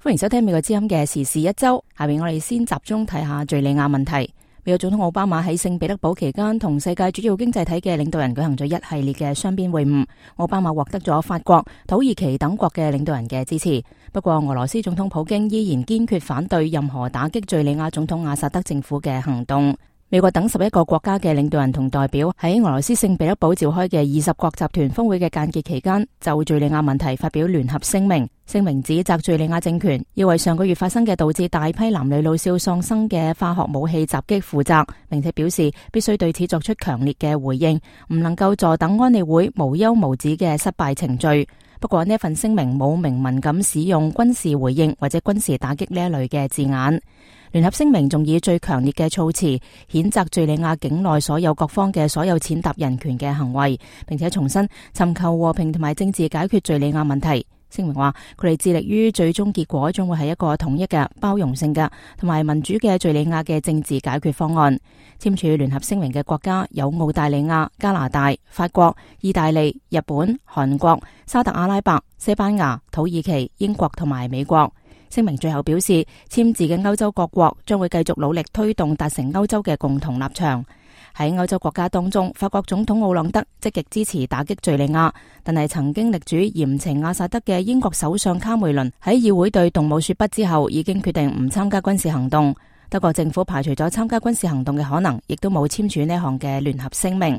歡迎收聽美國之音嘅時事一周。下面我哋先集中睇下敘利亞問題。美國總統奧巴馬喺聖彼得堡期間同世界主要經濟體嘅領導人舉行咗一系列嘅雙邊會晤。奧巴馬獲得咗法國、土耳其等國嘅領導人嘅支持。不過俄羅斯總統普京依然堅決反對任何打擊敘利亞總統阿薩德政府嘅行動。美國等11個國家嘅領導人同代表喺俄羅斯聖彼得堡召開嘅20國集團峰會嘅間歇期間，就敘利亞問題發表聯合聲明。聲明指責敘利亞政權要為上個月發生嘅導致大批男女老少喪生嘅化學武器襲擊負責，並且表示必須對此作出強烈嘅回應，唔能夠坐等安理會無休無止嘅失敗程序。不過呢份聲明冇明文咁使用軍事回應或者軍事打擊呢一類嘅字眼。聯合聲明仲以最強烈嘅措辭譴責敘利亞境內所有各方嘅所有踐踏人權嘅行為，並且重申尋求和平同埋政治解決敘利亞問題。聲明話佢哋致力於最終結果將會係一個統一嘅、包容性嘅同埋民主嘅敘利亞嘅政治解決方案。簽署聯合聲明嘅國家有澳大利亞、加拿大、法國、意大利、日本、韓國、沙特阿拉伯、西班牙、土耳其、英國同埋美國。聲明最後表示，簽字嘅歐洲各國將會繼續努力推動達成歐洲嘅共同立場。喺歐洲國家當中，法國總統奧朗德積極支持打擊敘利亞，但係曾經力主嚴懲阿薩德嘅英國首相卡梅倫喺議會對動武說不之後，已經決定唔參加軍事行動。德國政府排除咗參加軍事行動嘅可能，亦都冇簽署呢項嘅聯合聲明。